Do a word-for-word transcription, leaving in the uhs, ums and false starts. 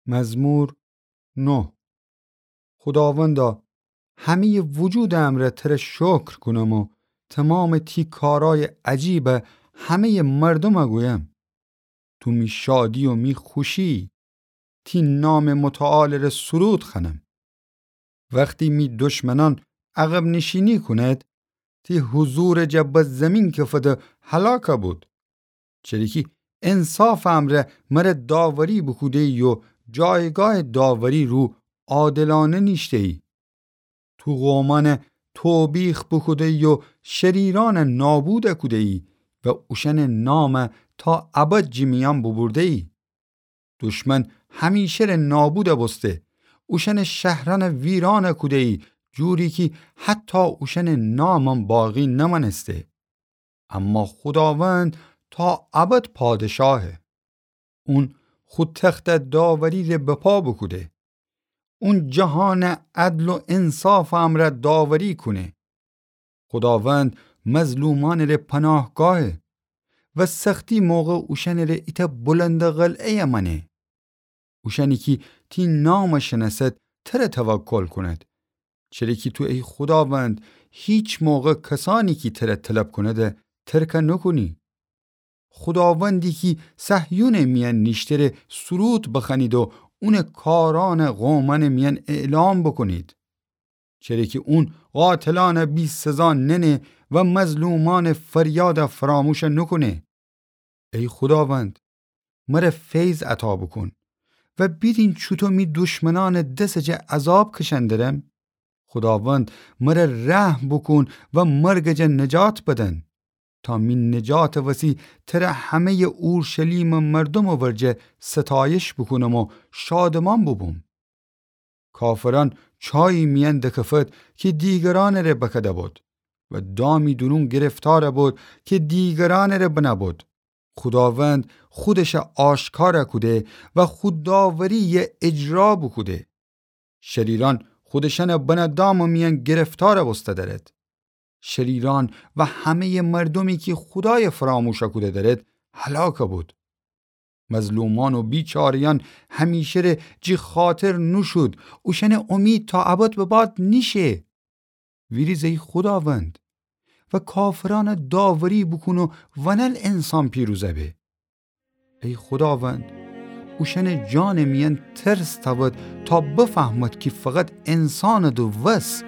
مزمور نه. خوداوندا، همه‌یٚ وجودٚ امرأ تره شکر کونم و تومامٚ تی کارأیٚ عجیبَ همه‌یٚ مردومَ گویم. تو می شادی و می خوشی‌یی، تی نامٚ متعالٚ ره سرود خوأنم. وختی می دشمنأن عقب‌نشینی کونید، تی حضورٚ جا به زیمین کفده هلاکَ بود. چری‌کی انصافٚ امرأ مره داوری بوکوده‌یی و جایگاهٚ داوری رو عادلأنه نیشته‌یی. تو قومأنَ توبیخ بوکوده‌یی و شریرأنَ نابودَ کوده‌یی و اوشأنٚ نامَ تا ابد جٚه میأن بوبورده‌یی. دشمن همیشه ره نابودَ بوسته، اوشأنٚ شهرأنَ ویرانَ کوده‌یی، جوری کی حتی اوشأنٚ نامم باقی نمأنسته. اما خوداوند تا ابد پادشاهه. اون خو تختَ داوری ره بپا بوکوده. اون جهانَ عدل و انصافٚ امرأ داوری کونه. خوداوند مظلومأنٚ ره پناهگاهه و سختی موقع اوشأنٚ ره ایتأ بلندٚ قلعه‌یَ مأنه. اوشأنی کی تی نامَ شنأسد تره توکل کونید. چره کی تو ای خوداوند هیچ موقع کسأنی کی تره طلب کونیدَ ترکَ نوکونی. خوداوندی کی صهیونٚ میأن نیشته ره سرود بخوأنید و اونٚ کارأنَ قومأنٚ میأن اعلام بوکونید. چره کی اون قاتلأنَ بی‌سزا ننه و مظلومأنٚ فریادَ فراموشَ نوکونه. ای خوداوند، مره فیض عطا بوکون و بیدین چوطو می دشمنأنٚ دسٚ جا عذاب کشأن درم. خوداوند مره رحم بوکون و مرگٚ جا نجات بدن، تا می نجاتٚ وسی تره همه‌یٚ اورشلیمٚ مردومٚ ورجه ستایش بوکونم و شادمأن بوبوم. کافرأن چایی میأن دکفد کی دیگرأنٚ ره بکده بد و دامی دورون گرفتارَ بد کی دیگرأنٚ ره بنه بد. خوداوند خودشَ آشکارَ کوده و خو داوری‌یَ اجرا بوکوده. شریرأن خودشأنَ بنه دامٚ میأن گرفتارَ بوسته درد. شریرأن و همه‌یٚ مردومی کی خودایَ فراموشَ کوده درد هلاکَ بد. مظلومأن و بیچاره‌یأن همیشه ره جٚه خاطر نوشود، اوشأنٚ امید تا ابد به باد نیشه. ویریز ای خوداوند و کافرأنَ داوری بوکون و ونل انسان پیروزَ به. ای خوداوند، اوشأنٚ جانٚ میأن ترس تأود تا بفهمد کی فقط انسانٚ دو وس.